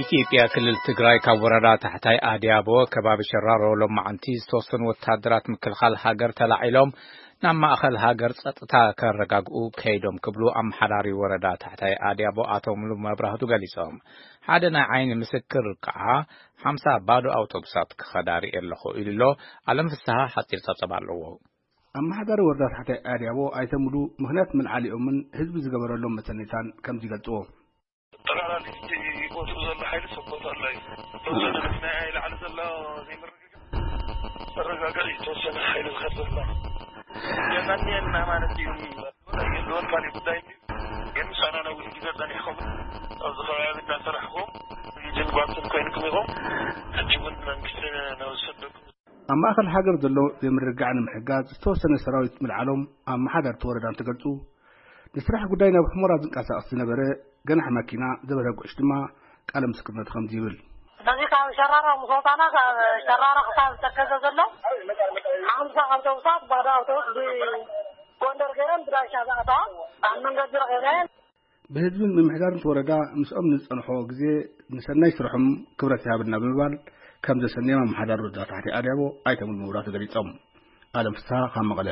ኢትዮጵያ ክልል ትግራይ ካብ ወረዳ ታሕታይ ኣድያቦ ከባቢ ሸራሮ ሎማዓንቲ ዝተወሰኑ ወታደራት ምክልኻል ሃገር ተላዒሎም ናብ ማእኸል ሃገር ጸጥታ ከረጋግኡ ከይዶም ክብሉ ኣመሓዳሪ ወረዳ ታሕታይ ኣድያቦ ኣቶ ሙሉ መብራህቱ ገሊጾም። ሓደ ናይ ዓይኒ ምስክር ከዓ ሓምሳ ባዶ ኣውቶቡሳት ክኸዳ ርእየ ኣለኹ ኢሉ ኣሎ። ኣለም ፍስሃ ሓጺር ጸብጸባ ኣለዎ። ኣመሓዳሪ ወረዳ ታሕታይ ኣድያቦ ኣይተ ሙሉ ምኽንያት ምልዓሊኦምን ህዝቢ ዝገበረሎም መሰኔታን ከምዚ ይገልጽዎ። ጠቕላላ እቲ ቦትኡ ዘሎ ሓይሊ ሰፖርት ኣሎ እዩ። ተወሰነ መኪና እያ ላዕሊ ዘሎ ዘይምርግጋእ። መረጋጋኢ ዝተወሰነ ሓይሊ ዝኸድ ዘሎ። የመንየና ማለት እዩ። የለዎን ካልእ ጉዳይ እንድዩ። ግን ምሳና ነዊሕ ግዜ ጸኒሕኩም ኣብዚ ከባቢ እናሰራሕኩም ሪጅን ጓንትን ኮይንኩም ኢኹም። ሕጂ እውን መንግስቲ ነብሰደኩም ኣብ ማእኸል ሃገር ዘሎ ዘይምርግጋዕ ንምሕጋዝ ዝተወሰነ ሰራዊት ምልዓሎም ኣመሓዳርቲ ወረዳ እንትገልጹ፣ ንስራሕ ጉዳይ ናብ ሑመራ ዝንቀሳቐስ ዝነበረ ገናሒ መኪና ዘበረ ጉዕሽ ድማ ቃለ ምስክርነቱ ከምዚ ይብል። ስለዚ ካብ ሸራሮ ምስ ወፃና፣ ካብ ሸራሮ ክሳብ ተከዘ ዘሎ ሓምሳ ኣውቶቡሳት፣ ባዶ ኣውቶቡስ ብጎንደር ገይረን ብዳሻ ዝኣተዋ ኣብ መንገዲ ረኺበን። ብህዝብን ምምሕዳርን እቲ ወረዳ ምስኦም ንዝጸንሖ ግዜ ንሰናይ ስርሖም ክብረት ይሃበልና ብምባል ከም ዘሰንዮም ኣመሓዳሪ ወረዳ ታሕቲ ኣድያቦ ኣይተ ሙሉ መብራህቱ ገሊጾም። ኣለም ፍስሃ ካብ መቐለ።